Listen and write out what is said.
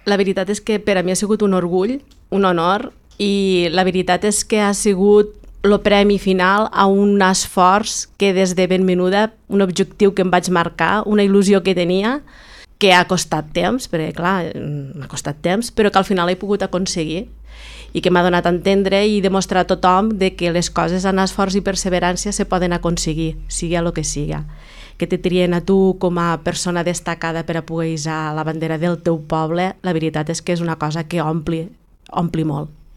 La veritat és que per a mi ha sigut un orgull, un honor, i la veritat és que ha sigut el premi final a un esforç que des de ben menuda, un objectiu que em vaig marcar, una il·lusió que tenia, que ha costat temps, perquè clar, m'ha costat temps, però que al final he pogut aconseguir i que m'ha donat a entendre i demostrar a tothom de que les coses amb esforç i perseverància se poden aconseguir, sigui el que siga. Que te trien a tu com a persona destacada per a poder hissar la bandera del teu poble, la veritat és que és una cosa que ompli molt.